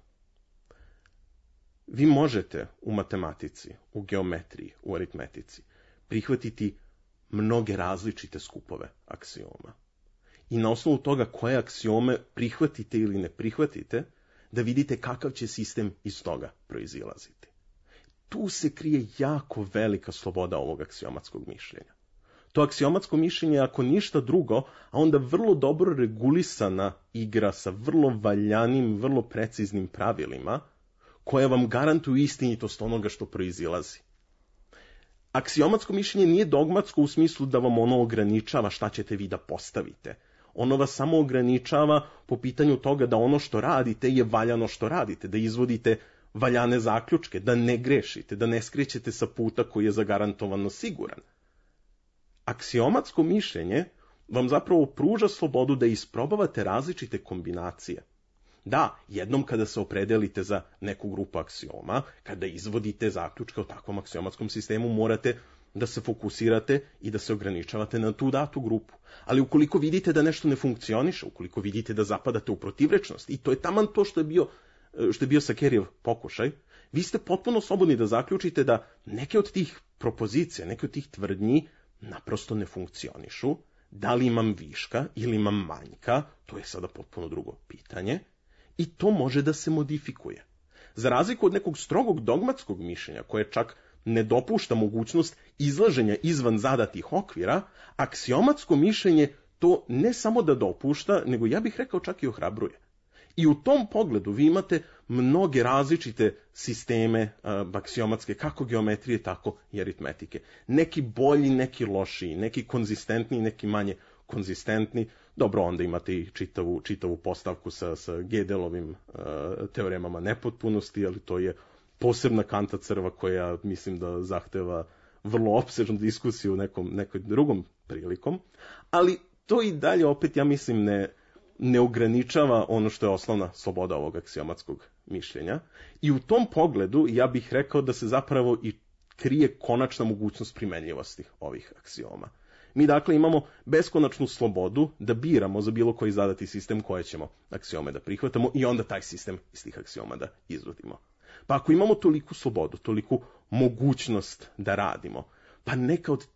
Vi možete u matematici, u geometriji, u aritmetici prihvatiti mnoge različite skupove aksioma. I na osnovu toga koje aksiome prihvatite ili ne prihvatite, da vidite kakav će sistem iz toga proizilaziti. Tu se krije jako velika sloboda ovog aksiomatskog mišljenja. To aksiomatsko mišljenje je ako ništa drugo, a onda vrlo dobro regulisana igra sa vrlo valjanim, vrlo preciznim pravilima, koje vam garantuju istinitost onoga što proizilazi. Aksiomatsko mišljenje nije dogmatsko u smislu da vam ono ograničava šta ćete vi da postavite. Ono vas samo ograničava po pitanju toga da ono što radite je valjano što radite, da izvodite valjane zaključke, da ne grešite, da ne skrećete sa puta koji je zagarantovano siguran. Aksiomatsko mišljenje vam zapravo pruža slobodu da isprobavate različite kombinacije. Da, jednom kada se opredelite za neku grupu aksioma, kada izvodite zaključke o takvom aksiomatskom sistemu, morate da se fokusirate i da se ograničavate na tu datu grupu. Ali ukoliko vidite da nešto ne funkcioniše, ukoliko vidite da zapadate u protivrečnost, i to je taman to što je bio Sakerijev pokušaj, vi ste potpuno slobodni da zaključite da neke od tih propozicija, neke od tih tvrdnji naprosto ne funkcionišu. Da li imam viška ili imam manjka, to je sada potpuno drugo pitanje, i to može da se modifikuje. Za razliku od nekog strogog dogmatskog mišljenja, koje čak ne dopušta mogućnost izlaženja izvan zadatih okvira, aksiomatsko mišljenje to ne samo da dopušta, nego ja bih rekao čak i ohrabruje. I u tom pogledu vi imate mnoge različite sisteme aksiomatske, kako geometrije, tako i aritmetike. Neki bolji, neki lošiji, neki konzistentni, neki manje konzistentni. Dobro, onda imate i čitavu postavku sa Gödelovim teoremama nepotpunosti, ali to je posebna kanta crva koja mislim da zahteva vrlo opsežnu diskusiju nekoj drugom prilikom, ali to i dalje opet, ja mislim, ne ograničava ono što je osnovna sloboda ovog aksiomatskog mišljenja. I u tom pogledu ja bih rekao da se zapravo i krije konačna mogućnost primenljivosti ovih aksioma. Mi dakle imamo beskonačnu slobodu da biramo za bilo koji zadati sistem koje ćemo aksiome da prihvatamo i onda taj sistem iz tih aksioma da izvodimo. Pa ako imamo toliku slobodu, toliku mogućnost da radimo, pa neki od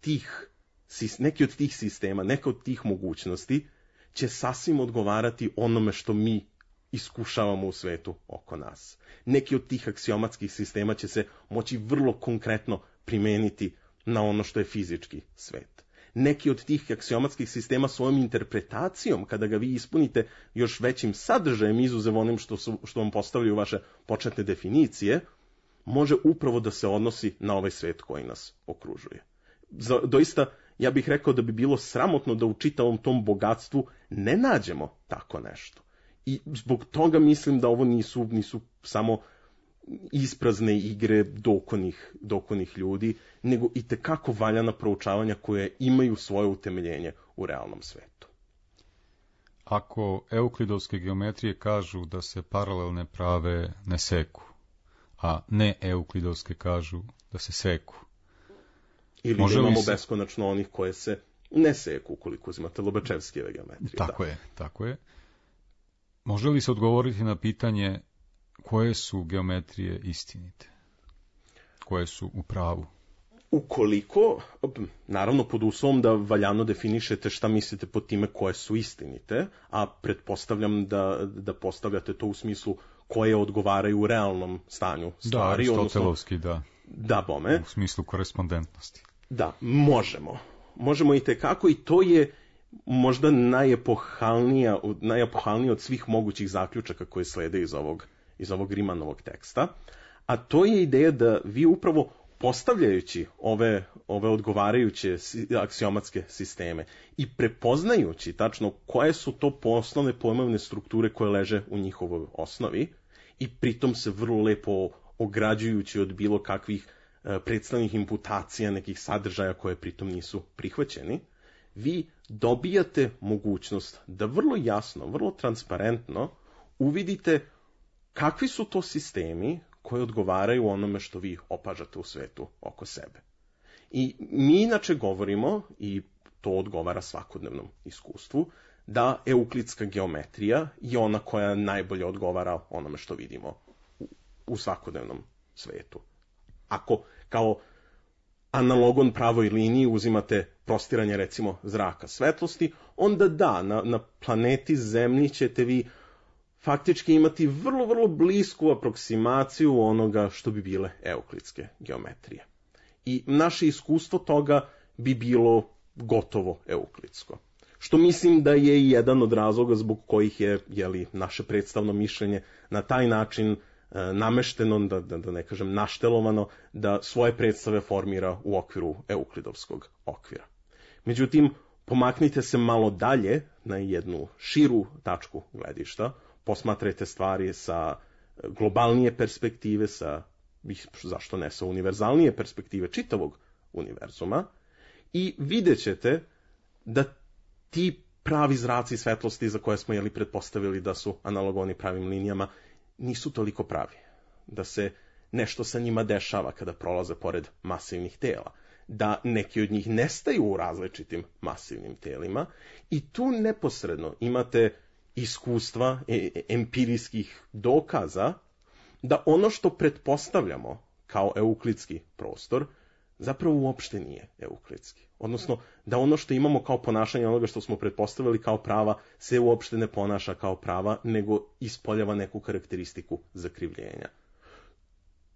tih sistema, neka od tih mogućnosti će sasvim odgovarati onome što mi iskušavamo u svetu oko nas. Neki od tih aksiomatskih sistema će se moći vrlo konkretno primeniti na ono što je fizički svet. Neki od tih aksiomatskih sistema svojom interpretacijom, kada ga vi ispunite još većim sadržajem, izuzev onim što vam postavljaju vaše početne definicije, može upravo da se odnosi na ovaj svet koji nas okružuje. Doista, ja bih rekao da bi bilo sramotno da u čitavom tom bogatstvu ne nađemo tako nešto. I zbog toga mislim da ovo nisu samo isprazne igre dokonih ljudi, nego i tekako valjana proučavanja koje imaju svoje utemeljenje u realnom svetu. Ako euklidovske geometrije kažu da se paralelne prave ne seku, a ne euklidovske kažu da se seku, ili da imamo beskonačno onih koje se ne seku, ukoliko uzimate Lobačevskijeve geometrije. Tako je. Može li se odgovoriti na pitanje koje su geometrije istinite? Koje su u pravu? Ukoliko, naravno pod uslovom da valjano definišete šta mislite pod time koje su istinite, a pretpostavljam da postavljate to u smislu koje odgovaraju u realnom stanju stvari. Da, aristotelovski, da. Da, bome. U smislu korespondentnosti. Da, možemo. Možemo i tekako, i to je možda najepohalnije od svih mogućih zaključaka koje slede iz ovog Rimanovog teksta, a to je ideja da vi upravo postavljajući ove odgovarajuće aksiomatske sisteme i prepoznajući tačno koje su to osnovne pojmovne strukture koje leže u njihovoj osnovi i pritom se vrlo lepo ograđujući od bilo kakvih predstavnih imputacija, nekih sadržaja koje pritom nisu prihvaćeni, vi dobijate mogućnost da vrlo jasno, vrlo transparentno uvidite kakvi su to sistemi koji odgovaraju onome što vi opažate u svetu oko sebe. I mi inače govorimo, i to odgovara svakodnevnom iskustvu, da euklidska geometrija je ona koja najbolje odgovara onome što vidimo u svakodnevnom svetu. Ako kao analogon pravoj liniji uzimate prostiranje recimo zraka svetlosti, onda da, na planeti Zemlji ćete vi faktički imati vrlo, vrlo blisku aproksimaciju onoga što bi bile euklidske geometrije. I naše iskustvo toga bi bilo gotovo euklidsko. Što mislim da je jedan od razloga zbog kojih je naše predstavno mišljenje na taj način namešteno, da ne kažem naštelovano, da svoje predstave formira u okviru euklidovskog okvira. Međutim, pomaknite se malo dalje na jednu širu tačku gledišta, posmatrajte stvari sa globalnije perspektive, zašto ne, sa univerzalnije perspektive čitavog univerzuma i vidjet ćete da ti pravi zraci svetlosti za koje smo pretpostavili da su analogoni pravim linijama nisu toliko pravi. Da se nešto sa njima dešava kada prolaze pored masivnih tela. Da neki od njih nestaju u različitim masivnim telima i tu neposredno imate iskustva, empirijskih dokaza da ono što pretpostavljamo kao euklidski prostor zapravo uopšte nije euklidski. Odnosno, da ono što imamo kao ponašanje onoga što smo pretpostavili kao prava se uopšte ne ponaša kao prava, nego ispoljava neku karakteristiku zakrivljenja.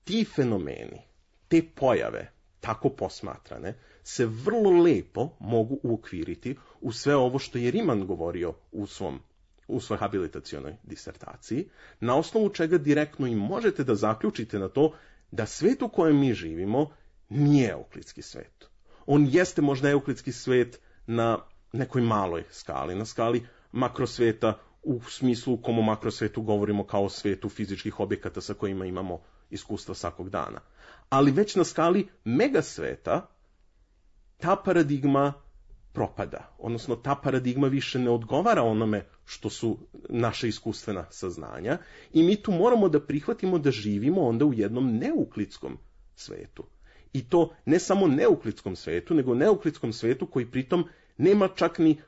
Ti fenomeni, te pojave, tako posmatrane, se vrlo lepo mogu uokviriti u sve ovo što je Riemann govorio u svojoj habilitacionoj disertaciji, na osnovu čega direktno i možete da zaključite na to da svet u kojem mi živimo nije euklidski svet. On jeste možda euklidski svet na nekoj maloj skali, na skali makrosveta, u smislu u kom o makrosvetu govorimo kao o svetu fizičkih objekata sa kojima imamo iskustva svakog dana. Ali već na skali megasveta ta paradigma propada, odnosno ta paradigma više ne odgovara onome što su naše iskustvena saznanja i mi tu moramo da prihvatimo da živimo onda u jednom neuklidskom svetu. I to ne samo neuklidskom svetu, nego neuklidskom svetu koji pritom nema čak ni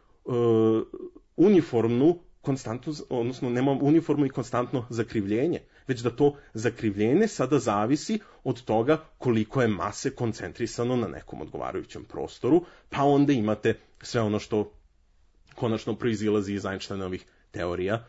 uniformnu konstantnu, odnosno nema uniformno i konstantno zakrivljenje, već da to zakrivljenje sada zavisi od toga koliko je mase koncentrisano na nekom odgovarajućem prostoru, pa onda imate sve ono što konačno proizilazi iz Einsteinovih teorija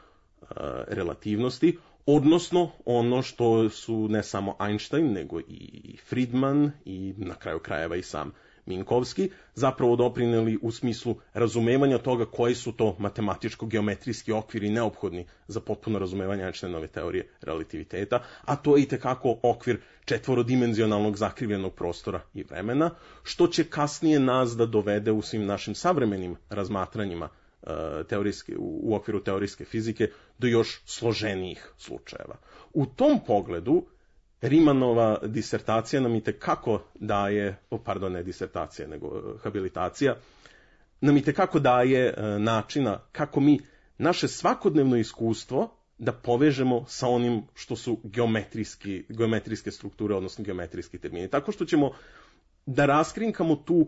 relativnosti, odnosno ono što su ne samo Einstein, nego i Friedman i na kraju krajeva i sam Minkowski zapravo doprineli u smislu razumevanja toga koji su to matematičko-geometrijski okviri neophodni za potpuno razumevanje Einsteinove teorije relativiteta, a to je itekako okvir četvorodimenzionalnog zakrivljenog prostora i vremena, što će kasnije nas da dovede u svim našim savremenim razmatranjima u okviru teorijske fizike do još složenijih slučajeva. U tom pogledu Riemannova disertacija nam itekako daje, ne disertacija, nego habilitacija, nam itekako daje načina kako mi naše svakodnevno iskustvo da povežemo sa onim što su geometrijske strukture, odnosno geometrijski termini. Tako što ćemo da raskrinkamo tu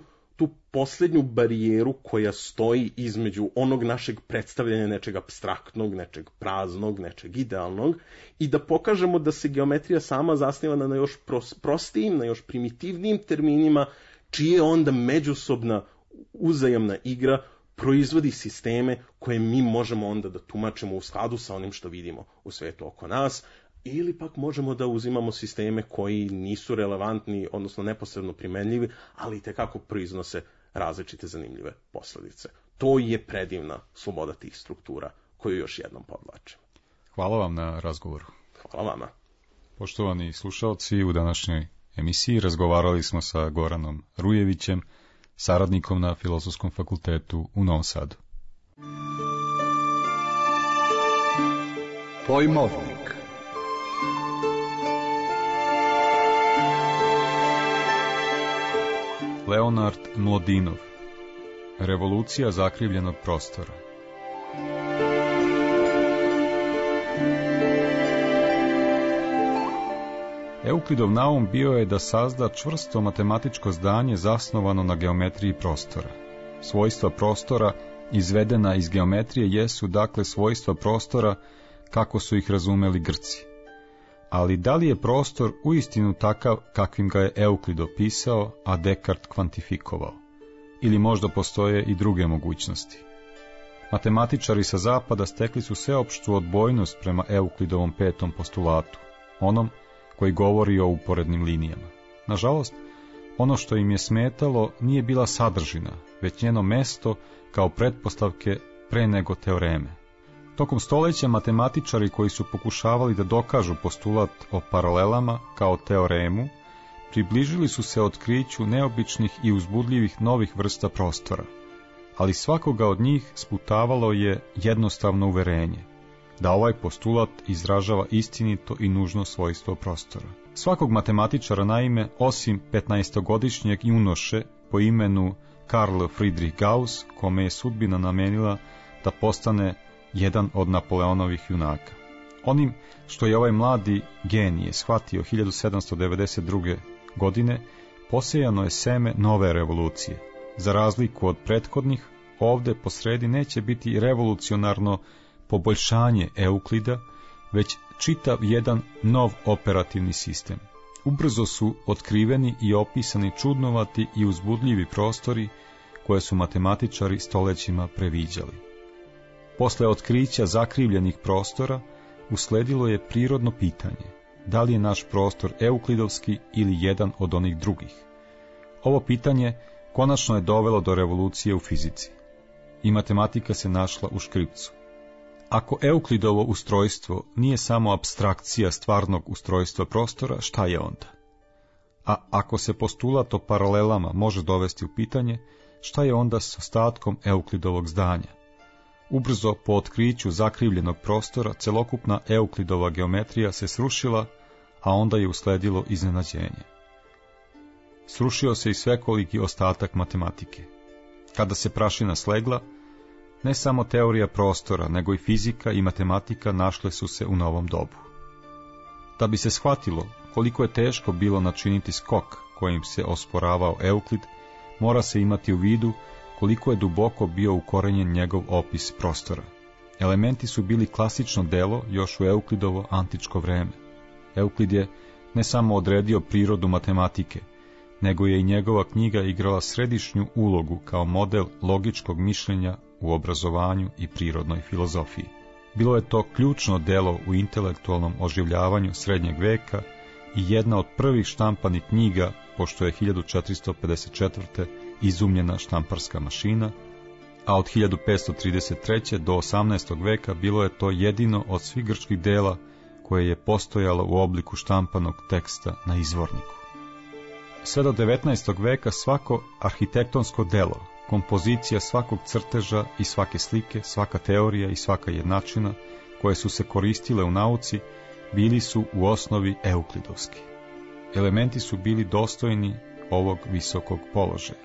posljednju barijeru koja stoji između onog našeg predstavljanja nečeg apstraktnog, nečeg praznog, nečeg idealnog i da pokažemo da se geometrija sama zasniva na još prostijim, na još primitivnijim terminima, čije onda međusobna uzajamna igra proizvodi sisteme koje mi možemo onda da tumačimo u skladu sa onim što vidimo u svetu oko nas, ili pak možemo da uzimamo sisteme koji nisu relevantni, odnosno neposredno primenljivi, ali itekako proiznose različite zanimljive posledice. To je predivna sloboda tih struktura, koju još jednom podvlačim. Hvala vam na razgovoru. Hvala vama. Poštovani slušalci, u današnjoj emisiji razgovarali smo sa Goranom Rujevićem, saradnikom na Filozofskom fakultetu u Novom Sadu. Pojmovnik. Leonard Mlodinov. Revolucija zakrivljenog prostora. Euklidov naum bio je da sazda čvrsto matematičko zdanje zasnovano na geometriji prostora. Svojstva prostora izvedena iz geometrije jesu dakle svojstva prostora kako su ih razumeli Grci. Ali da li je prostor uistinu takav kakvim ga je Euklid opisao, a Descartes kvantifikovao? Ili možda postoje i druge mogućnosti? Matematičari sa zapada stekli su sveopštu odbojnost prema Euklidovom petom postulatu, onom koji govori o uporednim linijama. Nažalost, Ono što im je smetalo nije bila sadržina, već njeno mesto kao pretpostavke pre nego teoreme. Tokom stoljeća matematičari koji su pokušavali da dokažu postulat o paralelama kao teoremu, približili su se otkriću neobičnih i uzbudljivih novih vrsta prostora, ali svakoga od njih sputavalo je jednostavno uverenje, da ovaj postulat izražava istinito i nužno svojstvo prostora. Svakog matematičara, naime, osim 15-godišnjeg junoše po imenu Karl Friedrich Gauss, kome je sudbina namenila da postane jedan od Napoleonovih junaka. Onim što je ovaj mladi genije shvatio 1792. godine, posejano je seme nove revolucije. Za razliku od prethodnih, ovde posredi neće biti revolucionarno poboljšanje Euklida, već čitav jedan nov operativni sistem. Ubrzo su otkriveni i opisani čudnovati i uzbudljivi prostori koje su matematičari stolećima previđali. Posle otkrića zakrivljenih prostora usledilo je prirodno pitanje: da li je naš prostor euklidovski ili jedan od onih drugih? Ovo pitanje konačno je dovelo do revolucije u fizici i matematika se našla u škripcu. Ako Euklidovo ustrojstvo nije samo apstrakcija stvarnog ustrojstva prostora, šta je onda? A ako se postulat o paralelama može dovesti u pitanje, šta je onda s ostatkom Euklidovog zdanja? Ubrzo po otkriću zakrivljenog prostora, celokupna Euklidova geometrija se srušila, a onda je usledilo iznenađenje. Srušio se i svekoliki ostatak matematike. Kada se prašina slegla, ne samo teorija prostora, nego i fizika i matematika našle su se u novom dobu. Da bi se shvatilo koliko je teško bilo načiniti skok kojim se osporavao Euklid, mora se imati u vidu koliko je duboko bio ukorenjen njegov opis prostora. Elementi su bili klasično delo još u Euklidovo antičko vreme. Euklid je ne samo odredio prirodu matematike, nego je i njegova knjiga igrala središnju ulogu kao model logičkog mišljenja u obrazovanju i prirodnoj filozofiji. Bilo je to ključno delo u intelektualnom oživljavanju srednjeg veka i jedna od prvih štampanih knjiga, pošto je 1454. izumljena štamparska mašina, a od 1533. do 18. veka bilo je to jedino od svih grčkih dela koje je postojalo u obliku štampanog teksta na izvorniku. Sve do 19. veka svako arhitektonsko delo, kompozicija svakog crteža i svake slike, svaka teorija i svaka jednačina koje su se koristile u nauci, bili su u osnovi euklidovski. Elementi su bili dostojni ovog visokog položaja.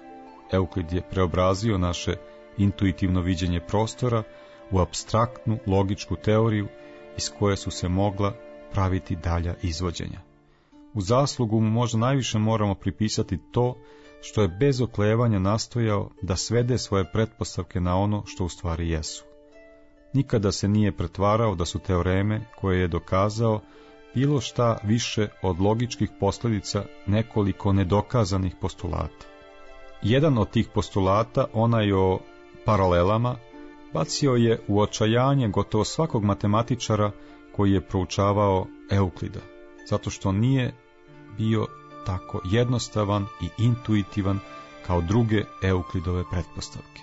Euklid je preobrazio naše intuitivno viđenje prostora u apstraktnu logičku teoriju iz koje su se mogla praviti dalja izvođenja. U zaslugu mu možda najviše moramo pripisati to što je bez oklevanja nastojao da svede svoje pretpostavke na ono što u stvari jesu. Nikada se nije pretvarao da su teoreme koje je dokazao bilo šta više od logičkih posljedica nekoliko nedokazanih postulata. Jedan od tih postulata, onaj o paralelama, bacio je u očajanje gotovo svakog matematičara koji je proučavao Euklida, zato što nije bio tako jednostavan i intuitivan kao druge Euklidove pretpostavke.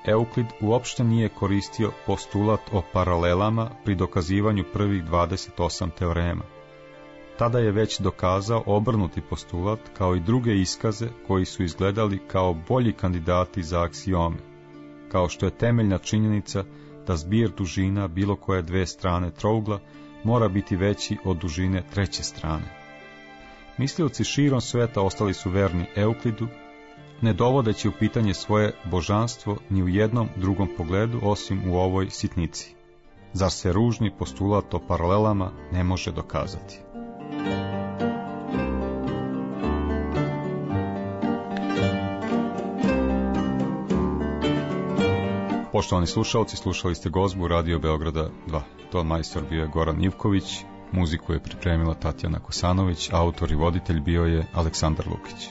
Euklid uopšte nije koristio postulat o paralelama pri dokazivanju prvih 28 teorema. Tada je već dokazao obrnuti postulat kao i druge iskaze koji su izgledali kao bolji kandidati za aksiome, kao što je temeljna činjenica da zbir dužina bilo koje dve strane trougla mora biti veći od dužine treće strane. Mislioci širom sveta ostali su verni Euklidu, ne dovodeći u pitanje svoje božanstvo ni u jednom drugom pogledu osim u ovoj sitnici. Zar se ružni postulat o paralelama ne može dokazati? Poštovani slušalci, slušali ste gozbu Radio Beograda 2. Ton majstor bio je Goran Ivković, muziku je pripremila Tatjana Kosanović, autor i voditelj bio je Aleksandar Lukić.